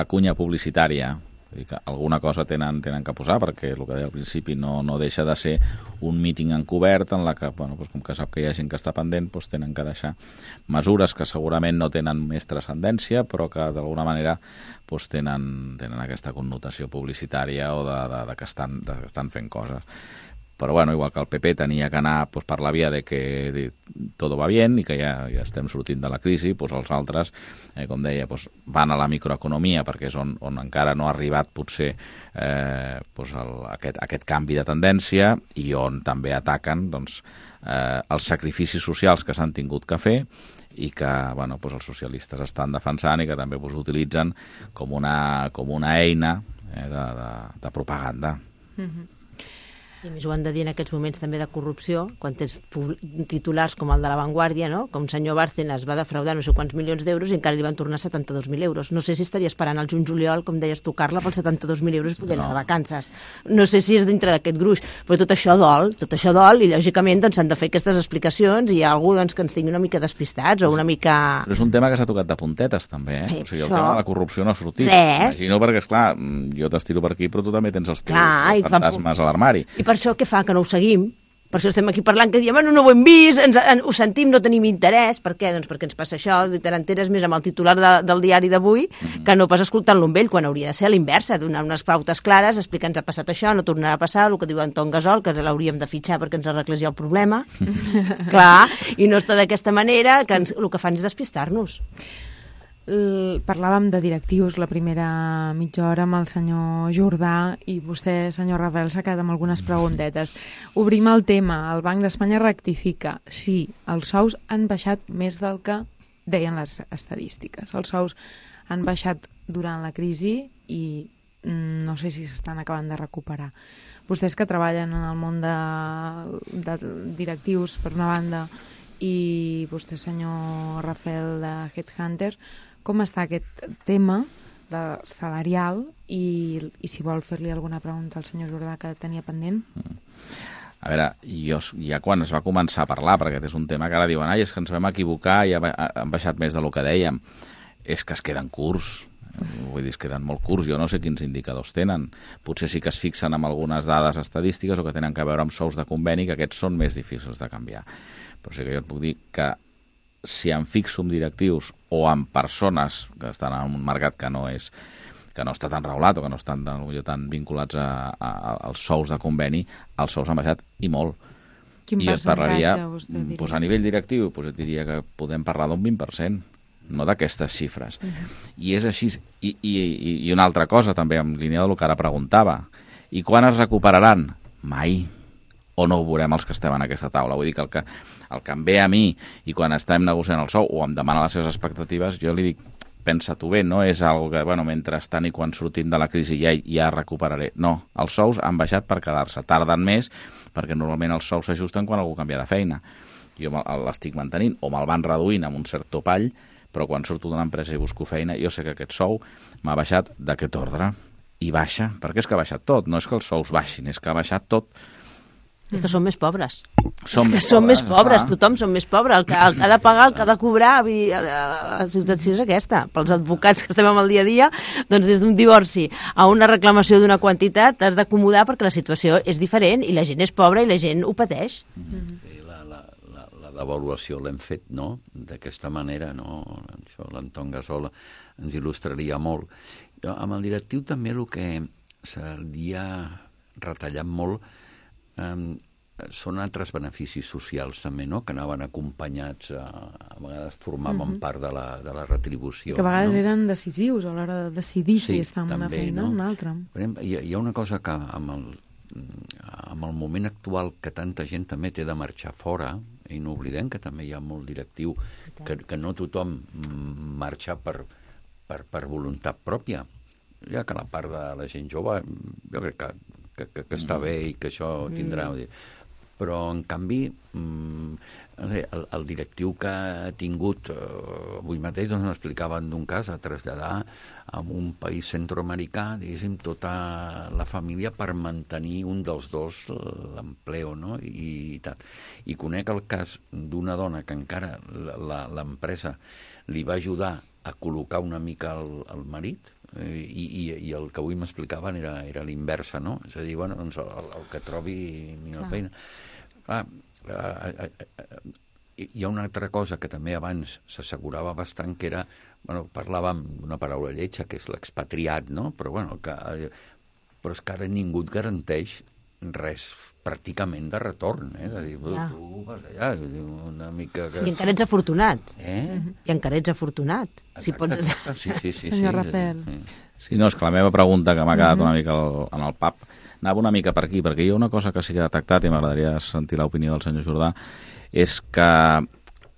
cunya publicitària. Vull dir que alguna cosa tenen que posar, perquè el que deia al principi no deixa de ser un míting encobert en la que, bueno, doncs com que sap que hi ha gent que està pendent, doncs tenen que deixar mesures que segurament no tenen més transcendència, però que d'alguna manera doncs tenen aquesta connotació publicitària o de que estan fent coses. Però bueno, igual que el PP tenia que anar pues, per la via de que tot va bien i que ja estem sortint de la crisi, pues, els altres, com deia, pues, van a la microeconomia perquè és on encara no ha arribat potser pues, aquest canvi de tendència i on també ataquen doncs, els sacrificis socials que s'han tingut que fer i que bueno, pues, els socialistes estan defensant i que també pues, utilitzen com una eina de propaganda. Mm-hmm. I a més ho han de dir en aquests moments també de corrupció, quan tens titulars com el de La Vanguardia, no? Com el senyor Bárcenas va defraudar no sé quants milions d'euros i encara li van tornar 72.000 euros. No sé si estaria esperant el juny-juliol, com deies tu, Carla, pels 72.000 euros poder anar de vacances. No sé si és dintre d'aquest gruix, però tot això dol i lògicament doncs, s'han de fer aquestes explicacions i hi ha algú doncs, que ens tingui una mica despistats o una mica... Però és un tema que s'ha tocat de puntetes també, eh? O sigui, el tema de la corrupció no ha sortit. Res. Imagino perquè, esclar, jo t'estiro per aquí però tu també tens els teus fantasmes a l'armari. I per això què fa? Que no ho seguim. Per això estem aquí parlant, que diem, no ho hem vist, ho sentim, no tenim interès. Per què? Doncs perquè ens passa això, te n'enteres més amb el titular del diari d'avui que no pas escoltant-lo amb ell, quan hauria de ser a l'inversa, donar unes pautes clares, explicar ens ha passat això, no tornarà a passar, el que diu Anton Gasol, que l'hauríem de fitxar perquè ens arreglés ja el problema. Clar, i no està d'aquesta manera, que el que fan és despistar-nos. Parlàvem de directius la primera mitja hora amb el senyor Jordà i vostè, senyor Rafael, s'ha quedat amb algunes preguntetes. Obrim el tema. El Banc d'Espanya rectifica. Sí, els sous han baixat més del que deien les estadístiques. Els sous han baixat durant la crisi i no sé si s'estan acabant de recuperar. Vostès que treballen en el món de directius, per una banda, i vostè, senyor Rafael, de Headhunter, com està aquest tema salarial i si vol fer-li alguna pregunta al senyor Jordà que tenia pendent? A veure, ja quan es va començar a parlar, perquè aquest és un tema que ara diuen és que ens vam equivocar i han baixat més del que dèiem, és que es queden curts. Vull dir, es queden molt curts. Jo no sé quins indicadors tenen. Potser sí que es fixen amb algunes dades estadístiques o que tenen a veure amb sous de conveni, que aquests són més difícils de canviar. Però sí que jo et puc dir que si em fixo en directius o en persones que estan en un mercat que no està tan regulat o que no estan tan vinculats als sous de conveni, els sous han baixat i molt. Quin I et parlaria, percentatge, a nivell directiu, et diria que podem parlar d'un 20%, no d'aquestes xifres. I és així. I una altra cosa també, en línia del que ara preguntava. I quan es recuperaran? Mai. O no ho veurem els que estem en aquesta taula. Vull dir que el que em ve a mi i quan estem negociant el sou o em demana les seves expectatives, jo li dic, pensa-t'ho bé, no és algo que, mentrestant i quan sortim de la crisi ja recuperaré. No, els sous han baixat per quedar-se. Tarden més perquè normalment els sous s'ajusten quan algú canvia de feina. Jo l'estic mantenint o me'l van reduint amb un cert topall, però quan surto d'una empresa i busco feina, jo sé que aquest sou m'ha baixat d'aquest ordre. I baixa, perquè és que ha baixat tot. No és que els sous baixin, és que ha baixat tot. És que som més pobres. Som més pobres, tothom som més pobres. El que ha de pagar, el que ha de cobrar, la situació és aquesta. Pels advocats que estem amb el dia a dia, doncs des d'un divorci a una reclamació d'una quantitat t'has d'acomodar perquè la situació és diferent i la gent és pobra i la gent ho pateix. Sí, la devaluació l'hem fet, no?, d'aquesta manera, no? Això l'Anton Gasol ens il·lustraria molt. Jo, amb el directiu també el que s'havia retallat molt són altres beneficis socials també, no?, que anaven acompanyats, a vegades formaven part de la retribució. Que a vegades eren decisius a l'hora de decidir si està en una feina o en una altra. Hi ha una cosa que amb el moment actual que tanta gent també té de marxar fora, i no oblidem que també hi ha molt directiu que no tothom marxa per voluntat pròpia, ja que la part de la gent jove jo crec que està bé i que això tindrà... Però, en canvi, el directiu que ha tingut avui mateix, doncs m'explicaven d'un cas a traslladar a un país centroamericà, diguéssim, tota la família per mantenir un dels dos l'empleo, no?, i tal. I conec el cas d'una dona que encara l'empresa li va ajudar a col·locar una mica el marit, i el que avui m'explicaven era l'inversa, no? És a dir, doncs el que trobi millor feina. Clar, hi ha una altra cosa que també abans s'assegurava bastant, que era, parlàvem d'una paraula lletja, que és l'expatriat, no? Però és que ara ningú et garanteix res pràcticament de retorn, de dir, tu vas allà, una mica... Sí, i encara ets afortunat. I encara ets afortunat. Sí. Senyor Rafael. Sí, no, és que la meva pregunta, que m'ha quedat una mica en el pap, anava una mica per aquí, perquè hi ha una cosa que sí que he detectat, i m'agradaria sentir l'opinió del senyor Jordà, és que a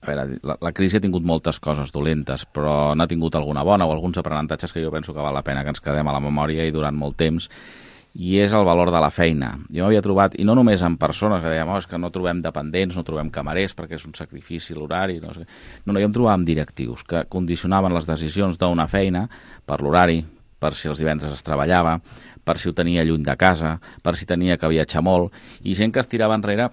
veure, la crisi ha tingut moltes coses dolentes, però n'ha tingut alguna bona o alguns aprenentatges que jo penso que val la pena que ens quedem a la memòria i durant molt temps. i és el valor de la feina. Jo m'havia trobat, i no només en persones que dèiem, és que no trobem dependents, no trobem camarers perquè és un sacrifici l'horari, no sé. No, jo em trobava amb directius que condicionaven les decisions d'una feina per l'horari, per si els divendres es treballava, per si ho tenia lluny de casa, per si tenia que viatjar molt, i gent que es tirava enrere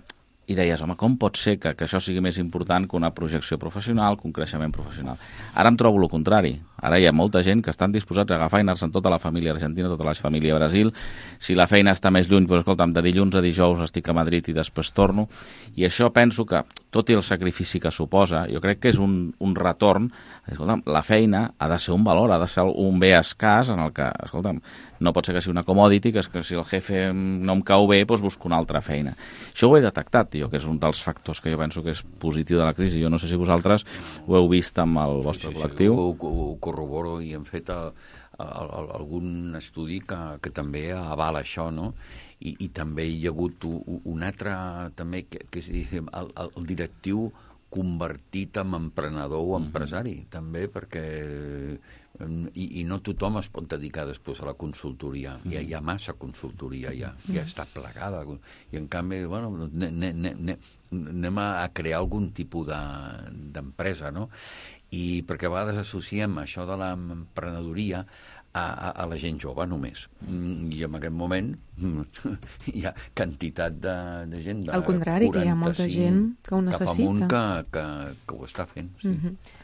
i deies, home, com pot ser que això sigui més important que una projecció professional, que un creixement professional? Ara em trobo el contrari. Ara hi ha molta gent que estan disposats a agafar i anar-se'n tota la família argentina, tota la família a Brasil. Si la feina està més lluny, doncs, escolta'm, de dilluns a dijous estic a Madrid i després torno. I això penso que, tot i el sacrifici que suposa, jo crec que és un retorn. Escolta'm, la feina ha de ser un valor, ha de ser un bé escàs en el que, escolta'm, no pot ser que sigui una commodity, que si el jefe no em cau bé, doncs busco una altra feina. Això ho he detectat, tio, que és un dels factors que jo penso que és positiu de la crisi. Jo no sé si vosaltres ho heu vist amb el vostre col·lectiu. Ho corroboro i hem fet algun estudi que també avala això, no? I també hi ha hagut un altre, també, que és el directiu convertit en emprenedor o empresari, també, perquè i no tothom es pot dedicar després a la consultoria. Hi ha massa consultoria, ja està plegada. I en canvi, bueno, anem a crear algun tipus d'empresa, no? I perquè a vegades associem això de l'emprenedoria a la gent jove només. I en aquest moment hi ha quantitat de gent de 45 al contrari, que hi ha molta gent que ho necessita. Cap amunt que ho està fent. Sí.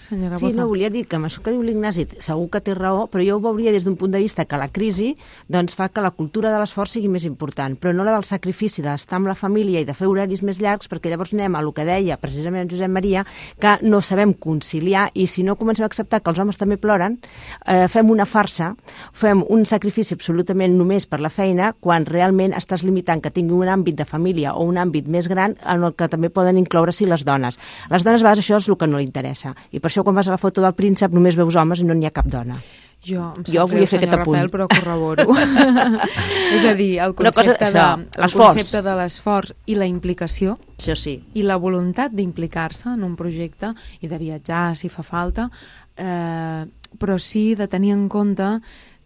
Senyora Sí, Boza. no, volia dir que amb això que diu l'Ignasi segur que té raó, però jo ho veuria des d'un punt de vista que la crisi doncs, fa que la cultura de l'esforç sigui més important, però no la del sacrifici d'estar amb la família i de fer horaris més llargs, perquè llavors anem a el que deia precisament Josep Maria, que no sabem conciliar, i si no comencem a acceptar que els homes també ploren, fem una farsa, fem un sacrifici absolutament només per la feina, quan realment estàs limitant que tingui un àmbit de família o un àmbit més gran en el que també poden incloure-s'hi les dones. Les dones a vegades això és el que no li interessa, i per això quan vas a la foto del príncep només veus homes i no n'hi ha cap dona. Jo volia fer aquest apunt. Rafael, però corroboro. És a dir, el concepte de l'esforç i la implicació, això sí, i la voluntat d'implicar-se en un projecte i de viatjar si fa falta, però sí de tenir en compte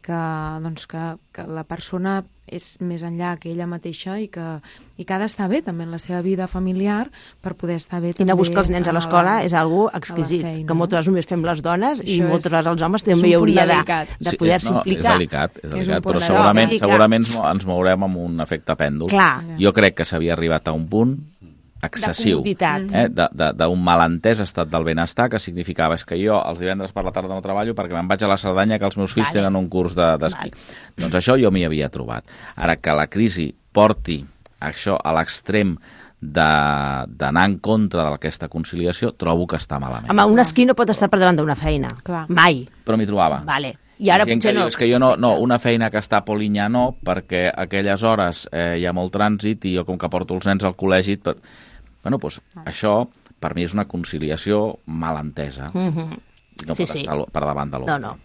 que la persona és més enllà que ella mateixa i que ha d'estar bé també en la seva vida familiar per poder estar bé i també. anar a buscar els nens a l'escola és algo exquisit, que moltes vegades només fem les dones i moltes vegades els homes també hi hauria de poder-se implicar. És delicat, però segurament ens mourem amb un efecte pèndol. Clar. Jo crec que s'havia arribat a un punt excessiu, d'un malentès estat del benestar, que significava que jo els divendres per la tarda no treballo perquè me'n vaig a la Cerdanya que els meus fills tenen un curs d'esquí. Doncs això jo m'hi havia trobat. Ara que la crisi porti això a l'extrem d'anar en contra d'aquesta conciliació, trobo que està malament. Home, un esquí no pot estar per davant d'una feina. Clar. Mai. Però m'hi trobava. Vale. I ara potser no. És que jo no, una feina que està a Polinyà no, perquè a aquelles hores hi ha molt trànsit i jo com que porto els nens al col·legi... Bueno, doncs això per mi és una conciliació mal entesa. No pot estar per davant de l'altre. No.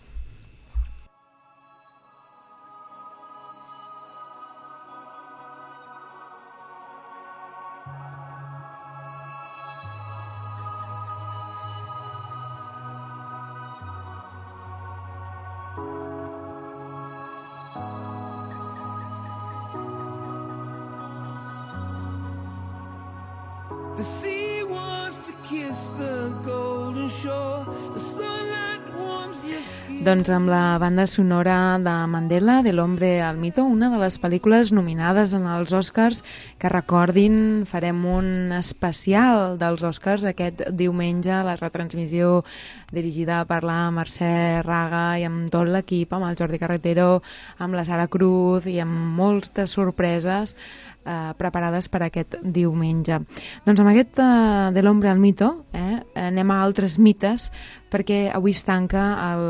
The sea wants to kiss the golden shore. The sunlight warms your skin. Doncs amb la banda sonora de Mandela, de l'Hombre al Mito, una de les pel·lícules nominades en els Oscars, que recordin, farem un especial dels Oscars aquest diumenge, la retransmissió dirigida per la Mercè Raga i amb tot l'equip, amb el Jordi Carretero, amb la Sara Cruz i amb moltes sorpreses preparades per aquest diumenge. Doncs amb aquest de l'Hombre al Mito anem a altres mites, perquè avui es tanca el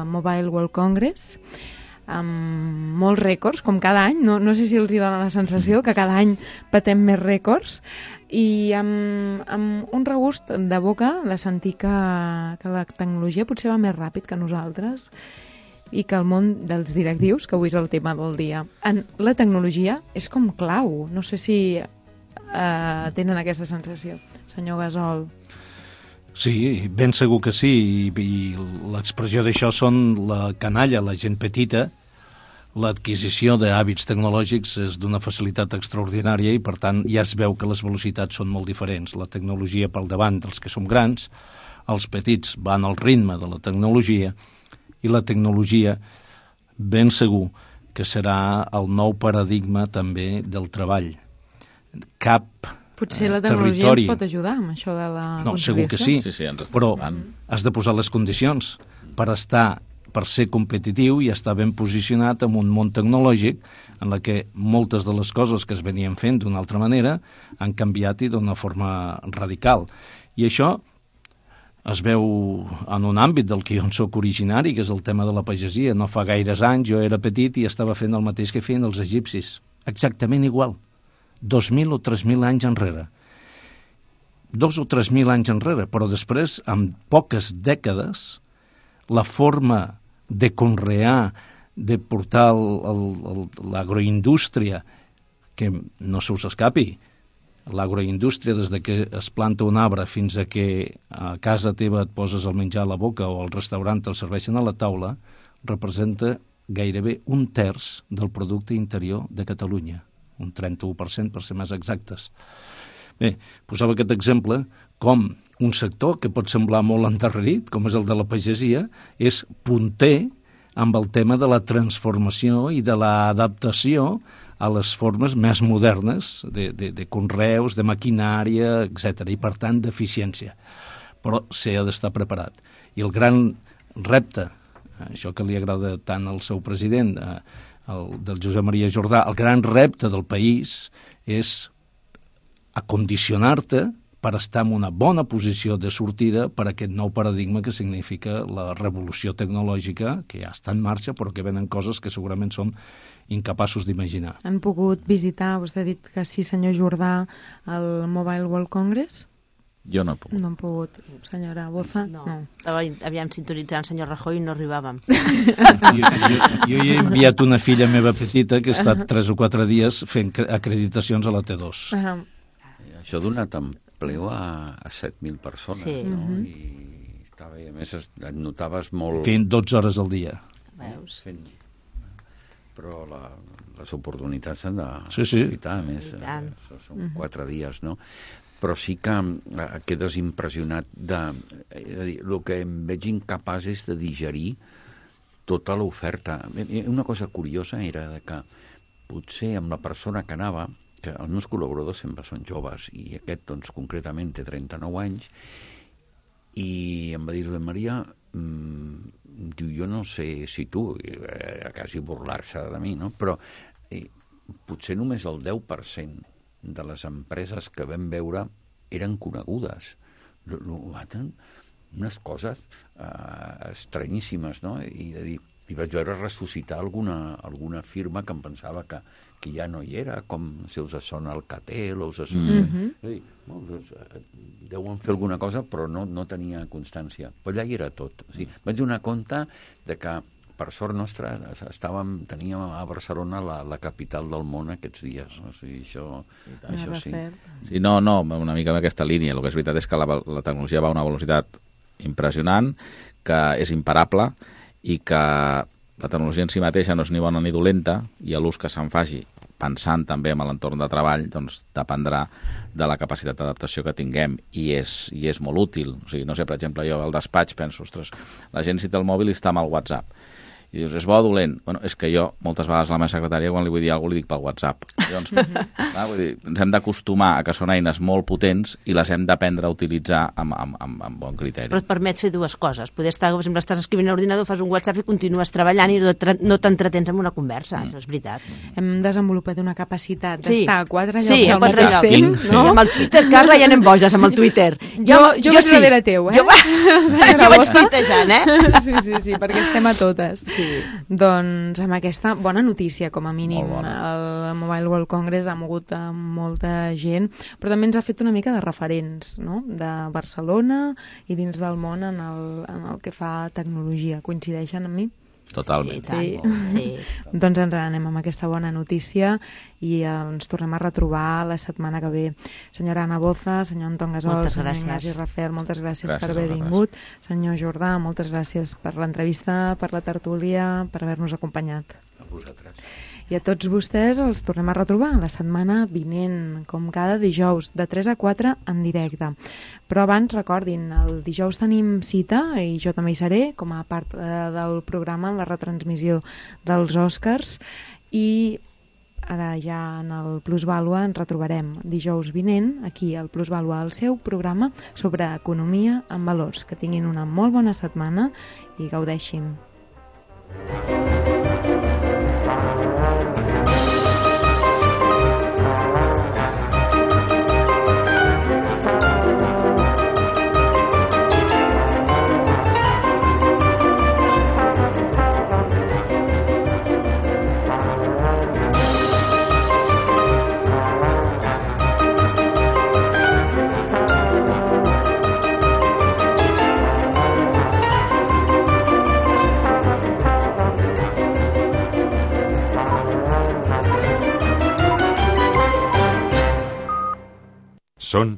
Mobile World Congress amb molts rècords, com cada any. No sé si els hi dona la sensació que cada any batem més rècords, i amb un regust de boca de sentir que la tecnologia potser va més ràpid que nosaltres i que el món dels directius, que avui és el tema del dia, en la tecnologia és com clau. No sé si tenen aquesta sensació. Senyor Gasol. Sí, ben segur que sí, i l'expressió d'això són la canalla, la gent petita, l'adquisició d'hàbits tecnològics és d'una facilitat extraordinària i, per tant, ja es veu que les velocitats són molt diferents. La tecnologia pel davant dels que som grans, els petits van al ritme de la tecnologia i la tecnologia, ben segur, que serà el nou paradigma també del treball. Cap Potser la tecnologia territori... ens pot ajudar amb això de la No, segur que sí, Sí, ens està però ajudant. has de posar les condicions per ser competitiu i estar ben posicionat en un món tecnològic en la que moltes de les coses que es venien fent d'una altra manera han canviat i d'una forma radical. I això es veu en un àmbit del que jo en soc originari, que és el tema de la pagesia. No fa gaires anys jo era petit i estava fent el mateix que feien els egipcis. Exactament igual. 2.000 o 3.000 anys enrere. 2 o 3.000 anys enrere, però després, en poques dècades, la forma de conrear, de portar l'agroindústria, que no se us escapi, l'agroindústria, des de que es planta un arbre fins a que a casa teva et poses el menjar a la boca o al restaurant te'l serveixen a la taula, representa gairebé 1/3 del producte interior de Catalunya, un 31% per ser més exactes. Bé, posava aquest exemple com un sector que pot semblar molt endarrerit, com és el de la pagesia, és punter amb el tema de la transformació i de l'adaptació a les formes més modernes de conreus, de maquinària, etc. I, per tant, d'eficiència. Però s'ha d'estar preparat. I el gran repte, això que li agrada tant al seu president, del Josep Maria Jordà, el gran repte del país és acondicionar-te per estar en una bona posició de sortida per a aquest nou paradigma que significa la revolució tecnològica, que ja està en marxa, però que venen coses que segurament som incapaços d'imaginar. Han pogut visitar, vostè ha dit que sí, senyor Jordà, el Mobile World Congress? Jo no he pogut. No han pogut. Senyora Boza? No. Havíem sintonitzat el senyor Rajoy i no arribàvem. Jo hi he enviat una filla meva petita que ha estat 3 o 4 dies fent acreditacions a la T2. Això ha donat empleo a 7.000 persones, Sí. no? I estava, a més, et notaves molt... Fent 12 hores al dia. Veus? Però les oportunitats s'han de Sí. aprofitar, a més, són 4 dies, no? Però sí que quedes impressionat és a dir, el que em veig incapaç és de digerir tota l'oferta. Una cosa curiosa era que potser amb la persona que anava, que els meus col·laboradors sempre són joves, i aquest, doncs, concretament té 39 anys, i em va dir, Maria, diu, jo no sé si tu, quasi burlar-se de mi, no? Però potser només el 10% de les empreses que vam veure eren conegudes. Unes coses estranyíssimes, no? I vaig veure ressuscitar alguna firma que em pensava que ja no hi era, com si us sona el Catel o us sona... Deuen fer alguna cosa, però no tenia constància. Però allà hi era tot. O sigui, vaig donar compte de que, per sort nostra, teníem a Barcelona la capital del món aquests dies. O sigui, això sí. Sí, no, una mica en aquesta línia. El que és veritat és que la tecnologia va a una velocitat impressionant, que és imparable i que la tecnologia en si mateixa no és ni bona ni dolenta i l'ús que se'n faci pensant també en l'entorn de treball, doncs dependrà de la capacitat d'adaptació que tinguem i és molt útil. O sigui, no sé, per exemple, jo al despatx penso, ostres, la gent si té el mòbil i està amb el WhatsApp. I dius, és bo o dolent? Bueno, és que jo, moltes vegades a la meva secretària, quan li vull dir alguna cosa, li dic pel WhatsApp. Llavors, vull dir, ens hem d'acostumar a que són eines molt potents i les hem d'aprendre a utilitzar amb bon criteri. Però et permet fer dues coses. Poder estar, per exemple, estàs escrivint a l'ordinador, fas un WhatsApp i continues treballant i no t'entretens en una conversa. Això és veritat. Hem desenvolupat una capacitat d'estar a 4 llocs al mateix llocs. temps, no? Amb el Twitter, Carla, ja anem boges amb el Twitter. Jo vaig darrere teu, eh? Jo vaig tuitejant, Sí, perquè estem a totes. Sí. Doncs amb aquesta bona notícia, com a mínim, el Mobile World Congress ha mogut a molta gent, però també ens ha fet una mica de referents, no?, de Barcelona i dins del món en el que fa tecnologia. Coincideixen amb mi? Totalment. Sí. Doncs ens anem amb aquesta bona notícia i ens tornem a retrobar la setmana que ve. Senyora Anna Boza, senyor Anton Gasol, senyor Ignasi Rafel, moltes gràcies per haver vingut. Senyor Jordà, moltes gràcies per l'entrevista, per la tertúlia, per haver-nos acompanyat. vosaltres. I a tots vostès els tornem a retrobar la setmana vinent, com cada dijous, de 3 a 4 en directe. Però abans, recordin, el dijous tenim cita, i jo també hi seré, com a part del programa en la retransmissió dels Oscars, i ara ja en el Plusvàlua ens retrobarem dijous vinent, aquí al Plusvàlua, el seu programa sobre economia en valors. Que tinguin una molt bona setmana i gaudeixin. Són